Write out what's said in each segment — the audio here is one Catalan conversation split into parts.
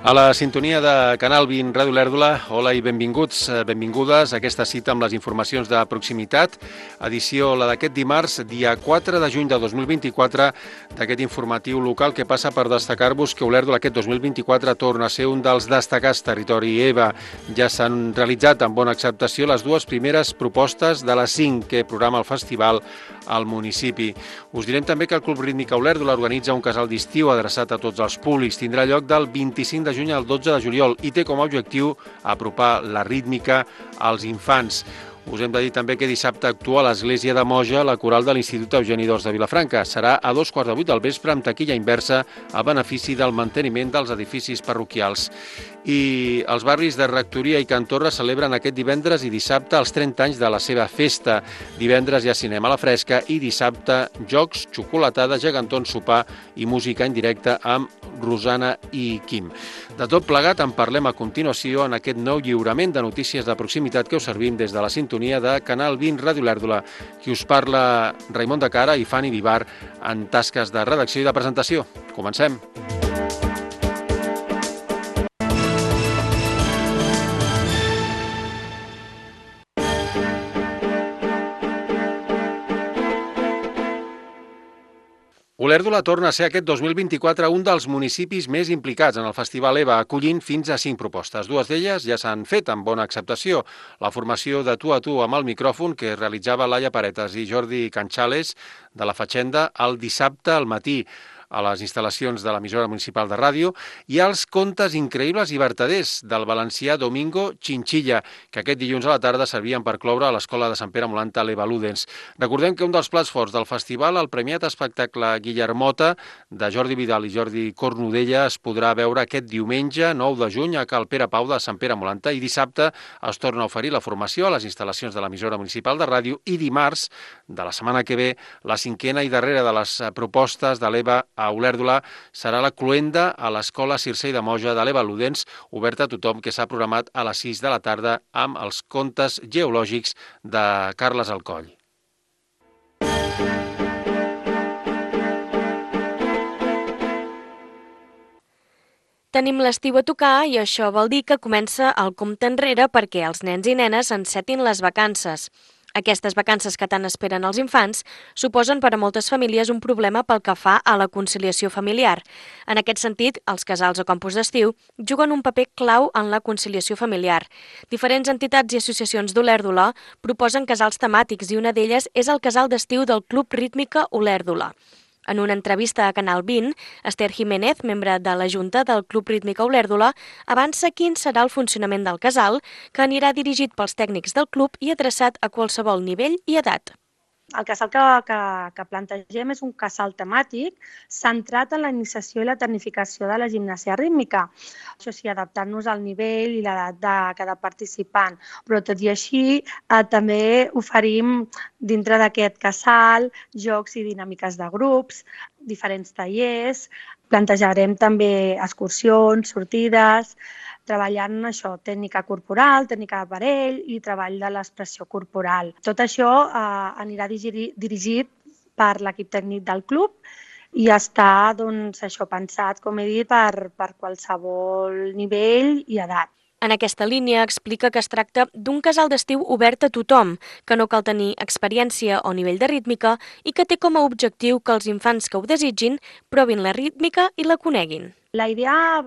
A la sintonia de Canal 20 Ràdio Olèrdola, hola i benvinguts, benvingudes a aquesta cita amb les informacions de proximitat, edició la d'aquest dimarts, dia 4 de juny de 2024, d'aquest informatiu local que passa per destacar-vos que Olèrdola aquest 2024 torna a ser un dels destacats territori EVA. Ja s'han realitzat amb bona acceptació les dues primeres propostes de les 5 que programa el festival al municipi. Us direm també que el Club Rítmica Olèrdola organitza un casal d'estiu adreçat a tots els públics. Tindrà lloc del 25 de juny al 12 de juliol i té com a objectiu apropar la rítmica als infants. Us hem de dir també que dissabte actua a l'Església de Moja la coral de l'Institut Eugeni d'Ors de Vilafranca. Serà a 2:15 del vespre amb taquilla inversa a benefici del manteniment dels edificis parroquials. I els barris de Rectoria i Can Torra celebren aquest divendres i dissabte els 30 anys de la seva festa. Divendres hi ha cinema a la fresca i dissabte jocs, xocolatada, gegantons, sopar i música en directe amb Rosana i Quim. De tot plegat en parlem a continuació en aquest nou lliurament de notícies de proximitat que us servim des de la sintonia de Canal 20 Ràdio Olèrdola. Qui us parla, Raimon de Cara i Fanny Vivar en tasques de redacció i de presentació. Comencem. Olèrdola torna a ser aquest 2024 un dels municipis més implicats en el Festival EVA, acollint fins a 5 propostes. Dues d'elles ja s'han fet amb bona acceptació. La formació de Tu a Tu amb el micròfon que realitzava Laia Paretas i Jordi Canchales de la Fatxenda el dissabte al matí a les instal·lacions de l'emissora municipal de ràdio, i els contes increïbles i vertaders del valencià Domingo Chinchilla, que aquest dilluns a la tarda servien per cloure a l'Escola de Sant Pere Molanta l'Eva Ludens. Recordem que un dels plats forts del festival, el premiat espectacle Guillermota, de Jordi Vidal i Jordi Cornudella, es podrà veure aquest diumenge 9 de juny a Cal Pere Pau de Sant Pere Molanta, i dissabte es torna a oferir la formació a les instal·lacions de l'emissora municipal de ràdio, i dimarts de la setmana que ve, la cinquena i darrera de les propostes de l'EVA a Olèrdola serà la cloenda a l'Escola Circei de Moja de l'Eva Ludens, oberta a tothom, que s'ha programat a les 6 de la tarda amb els contes geològics de Carles Alcoll. Tenim l'estiu a tocar i això vol dir que comença el compte enrere perquè els nens i nenes encetin les vacances. Aquestes vacances que tant esperen els infants suposen per a moltes famílies un problema pel que fa a la conciliació familiar. En aquest sentit, els casals o campus d'estiu juguen un paper clau en la conciliació familiar. Diferents entitats i associacions d'Olèrdola proposen casals temàtics i una d'elles és el casal d'estiu del Club Rítmica Olèrdola. En una entrevista a Canal 20, Esther Jiménez, membre de la Junta del Club Rítmica Olèrdola, avança quin serà el funcionament del casal, que anirà dirigit pels tècnics del club i adreçat a qualsevol nivell i edat. El casal que plantegem és un casal temàtic centrat en la iniciació i la tecnificació de la gimnàsia rítmica. Això sí, adaptant-nos al nivell i l'edat de cada participant. Però tot i així, també oferim dintre d'aquest casal jocs i dinàmiques de grups, diferents tallers, plantejarem també excursions, sortides, treballant això, tècnica corporal, tècnica d'aparell i treball de l'expressió corporal. Tot això anirà dirigit per l'equip tècnic del club i està pensat, com he dit, per qualsevol nivell i edat. En aquesta línia explica que es tracta d'un casal d'estiu obert a tothom, que no cal tenir experiència o nivell de rítmica i que té com a objectiu que els infants que ho desitgin provin la rítmica i la coneguin. La idea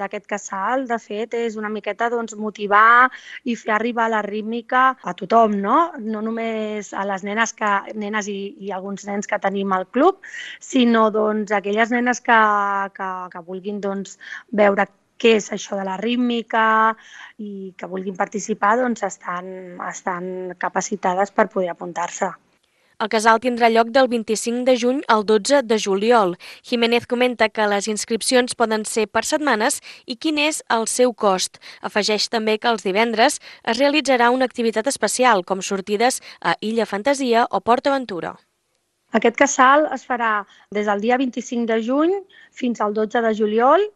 d'aquest casal, de fet, és una miqueta motivar i fer arribar la rítmica a tothom, no només a les nenes i alguns nens que tenim al club, sinó aquelles nenes que vulguin veure què és això de la rítmica i que vulguin participar, estan capacitades per poder apuntar-se. El casal tindrà lloc del 25 de juny al 12 de juliol. Jiménez comenta que les inscripcions poden ser per setmanes i quin és el seu cost. Afegeix també que els divendres es realitzarà una activitat especial, com sortides a Illa Fantasia o Port Aventura. Aquest casal es farà des del dia 25 de juny fins al 12 de juliol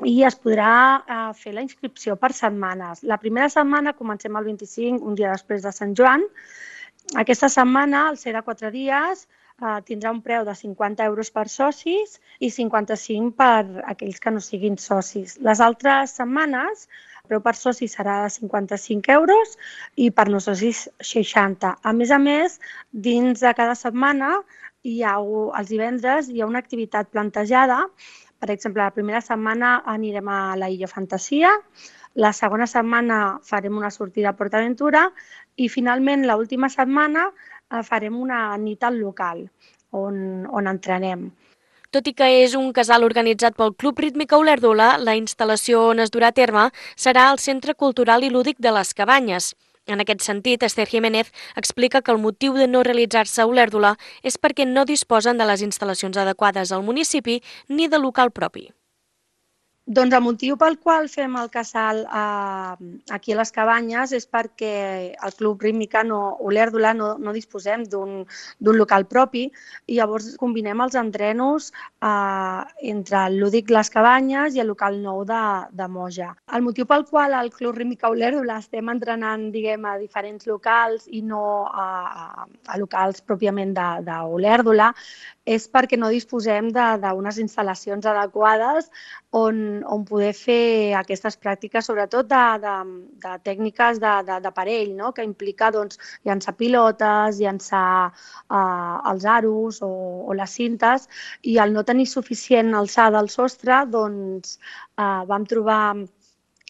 i es podrà fer la inscripció per setmanes. La primera setmana comencem el 25, un dia després de Sant Joan. Aquesta setmana, al ser de 4 dies, tindrà un preu de 50 euros per socis i 55 per aquells que no siguin socis. Les altres setmanes el preu per soci serà de 55 euros i per no socis 60. A més, dins de cada setmana els divendres hi ha una activitat plantejada. Per exemple, la primera setmana anirem a la Illa Fantasia, la segona setmana farem una sortida a PortAventura i finalment l'última setmana farem una nit al local on entrenem. Tot i que és un casal organitzat pel Club Rítmica Olèrdola, la instal·lació on es durà a terme serà al Centre Cultural i Lúdic de les Cabanyes. En aquest sentit, Esther Jiménez explica que el motiu de no realitzar-se a Olèrdola és perquè no disposen de les instal·lacions adequades al municipi ni de local propi. Doncs el motiu pel qual fem el casal aquí a les Cabanyes és perquè el Club Rítmica Olèrdola no disposem d'un local propi i llavors combinem els entrenos entre el Lúdic Les Cabanyes i el local nou de Moja. El motiu pel qual el Club Rítmica Olèrdola estem entrenant, a diferents locals i no a locals pròpiament d'Olèrdola és perquè no disposem d'unes instal·lacions adequades on poder fer aquestes pràctiques, sobretot de tècniques d'aparell, no? Que implica llançar pilotes, llançar els aros o les cintes, i al no tenir suficient alçada al sostre, vam trobar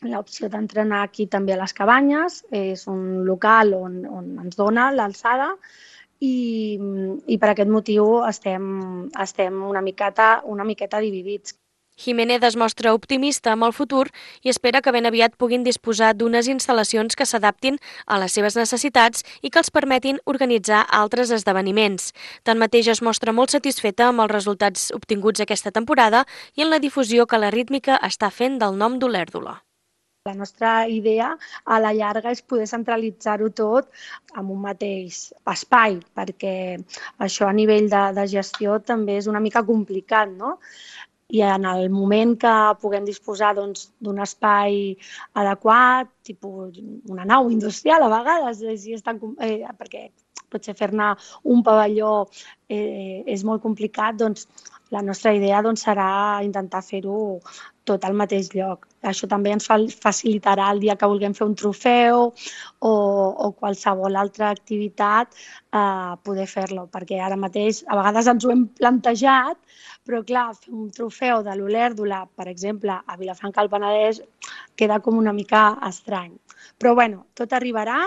l'opció d'entrenar aquí també a les Cabanyes. És un local on ens dona l'alçada i per aquest motiu estem una miqueta dividits. Jiménez es mostra optimista amb el futur i espera que ben aviat puguin disposar d'unes instal·lacions que s'adaptin a les seves necessitats i que els permetin organitzar altres esdeveniments. Tanmateix es mostra molt satisfeta amb els resultats obtinguts aquesta temporada i en la difusió que la rítmica està fent del nom d'Olèrdola. La nostra idea a la llarga és poder centralitzar-ho tot en un mateix espai, perquè això a nivell de gestió també és una mica complicat, no? I en el moment que puguem disposar d'un espai adequat, tipus una nau industrial a vegades, perquè potser fer-ne un pavelló és molt complicat, la nostra idea serà intentar fer-ho tot al mateix lloc. Això també ens facilitarà el dia que vulguem fer un trofeu o qualsevol altra activitat poder fer-lo, perquè ara mateix a vegades ens ho hem plantejat, però clar, fer un trofeu de l'Olèrdola, per exemple, a Vilafranca del Penedès, queda com una mica estrany. Però bueno, tot arribarà.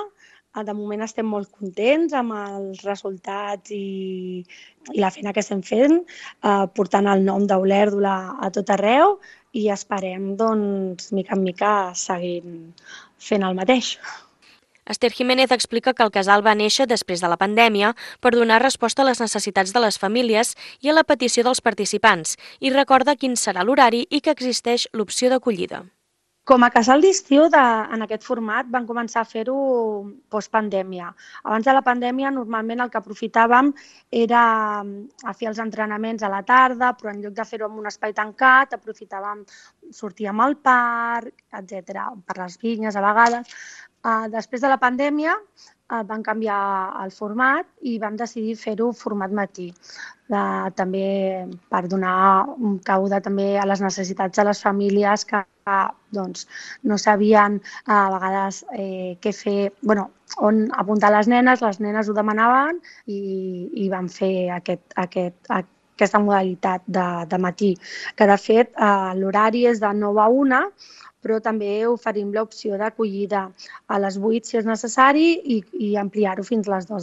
De moment estem molt contents amb els resultats i la feina que estem fent, portant el nom d'Olèrdola a tot arreu i esperem, mica en mica, seguir fent el mateix. Esther Jiménez explica que el casal va néixer després de la pandèmia per donar resposta a les necessitats de les famílies i a la petició dels participants i recorda quin serà l'horari i que existeix l'opció d'acollida. Com a casal d'estiu en aquest format vam començar a fer-ho postpandèmia. Abans de la pandèmia normalment el que aprofitàvem era a fer els entrenaments a la tarda, però en lloc de fer-ho en un espai tancat aprofitàvem sortíem al parc, etc., per les vinyes a vegades. Després de la pandèmia van canviar el format i vam decidir fer-ho format matí, també per donar un cabuda també a les necessitats de les famílies que no sabien a vegades què fer, on apuntar les nenes ho demanaven i vam fer aquesta modalitat de matí, que de fet l'horari és de 9 a 1, però també oferim l'opció d'acollida a les 8 si és necessari i ampliar-ho fins a les 2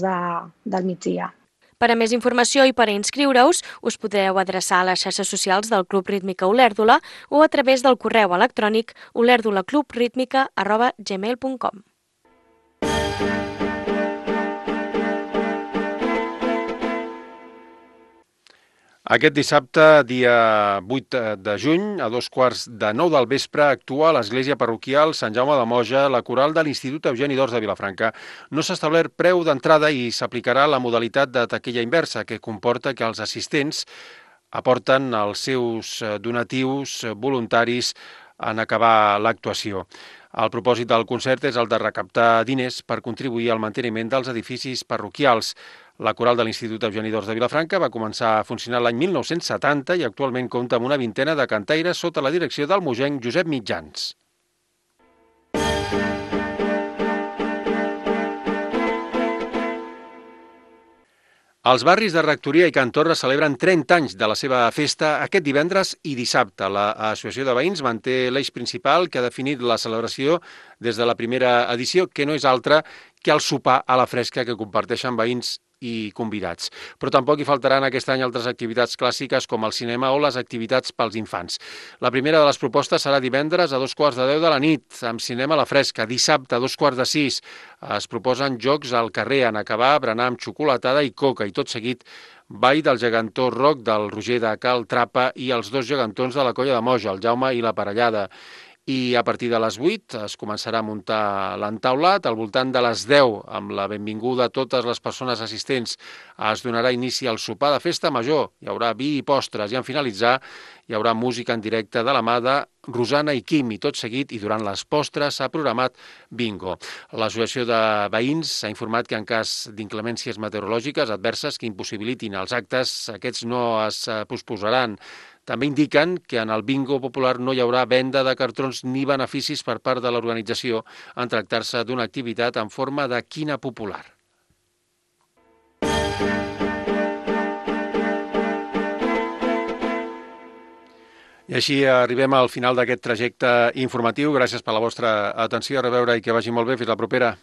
del migdia. Per a més informació i per a inscriure-us, us podeu adreçar a les xarxes socials del Club Rítmica Olèrdola o a través del correu electrònic olerdolaclubritmica@gmail.com. Aquest dissabte, dia 8 de juny, a 8:45 del vespre, actua a l'església parroquial Sant Jaume de Moja la coral de l'Institut Eugeni d'Ors de Vilafranca. No s'ha establert preu d'entrada i s'aplicarà la modalitat de taquilla inversa, que comporta que els assistents aporten els seus donatius voluntaris en acabar l'actuació. El propòsit del concert és el de recaptar diners per contribuir al manteniment dels edificis parroquials. La coral de l'Institut Eugeni d'Ors de Vilafranca va començar a funcionar l'any 1970 i actualment compta amb una vintena de cantaires sota la direcció del mogenc Josep Mitjans. Els barris de Rectoria i Can Torra celebren 30 anys de la seva festa aquest divendres i dissabte. L'Associació de Veïns manté l'eix principal que ha definit la celebració des de la primera edició, que no és altra que el sopar a la fresca que comparteixen veïns i convidats. Però tampoc hi faltaran aquest any altres activitats clàssiques com el cinema o les activitats pels infants. La primera de les propostes serà divendres a 2:15 de la nit, amb cinema a la fresca. Dissabte a 5:45 es proposen jocs al carrer en acabar, berenar amb xocolatada i coca, i tot seguit ball del gegantó rock del Roger de Cal Trapa i els dos gegantons de la Colla de Moja, el Jaume i la Parellada. I a partir de les 8 es començarà a muntar l'entaulat. Al voltant de les 10, amb la benvinguda a totes les persones assistents, es donarà inici al sopar de festa major. Hi haurà vi i postres i en finalitzar hi haurà música en directe de la mà de Rosana i Quim, i tot seguit i durant les postres s'ha programat bingo. L'Associació de Veïns s'ha informat que en cas d'inclemències meteorològiques adverses que impossibilitin els actes, aquests no es posposaran. També indiquen que en el bingo popular no hi haurà venda de cartrons ni beneficis per part de l'organització en tractar-se d'una activitat en forma de quina popular. I així arribem al final d'aquest trajecte informatiu. Gràcies per la vostra atenció. A reveure i que vagi molt bé. Fins la propera.